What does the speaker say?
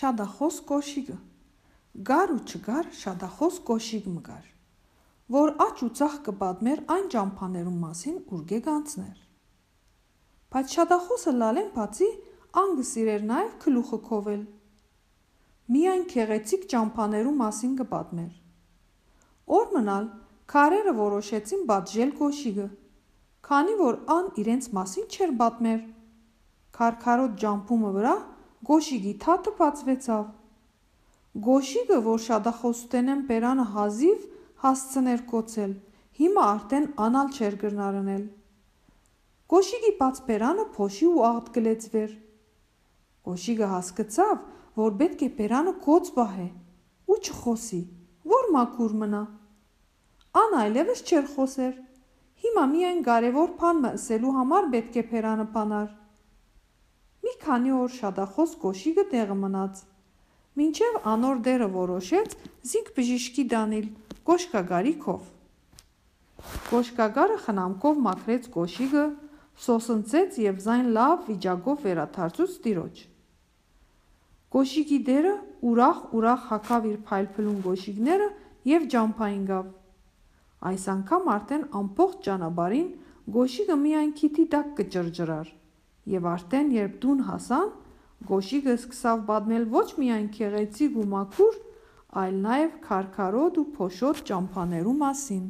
Շադախոս կոշիգը գար ու չգար շադախոս կոշիգ մգար, որ աճ ու ծախ կպատմեր այն ճամփաներուն մասին, ուր գանցներ։ Բայց շադախոսը լալեն բացի ան գսիրեր նաև գլուխը քովել։ Միայն քեղեցիկ ճամփաներու մասին կպատմեր։ Օր մնալ քարերը որոշեցին պատժել կոշիգը, քանի որ ան իրենց մասին չէր պատմեր։ Քարքարոտ ջամփումը վրա գոշիգի թաթը բացվեցավ։ Գոշիգը, որ շադախոսութենեն պերանը հազիվ հասցներ կոծել, հիմա արդեն անալ չէր գրնարնել։ Գոշիգի բաց պերանը փոշի ու աղտ գլեցվեր։ Գոշիգը հասկացավ, որ պետք է պերանը կոծ բահե ու չխոսի, որ մաքուր մնա։ Ան այլևս չէր խոսեր։ Հիմա միայն կարևոր բան ասելու համար պետք է պերանը բանար։ Մի քանի օր շադախոս կոշիգը տեղը մնաց, մինչև անոր դերը որոշեց զինք բժիշկի դանել կոշկագարի քով։ Կոշկագարը խնամքով մաքրեց կոշիգը, սոսնցեց և զայն լավ վիճակով վերադարձուց տիրոջ։ Կոշիգի դերը ուրախ հագավ իր փայլփլուն գոշիգները և ջամփային գավ։ Այս անգամ արդեն ամբողջ ճանապարհին գոշիգը միայն քիթի տակ կճռճռար, և արդեն երբ տուն հասան, գոշիգը սկսավ պատմել ոչ միայն քեղեցիկ ու մաքուր, այլ նաև քարքարոտ ու փոշոտ ճամփաներու մասին։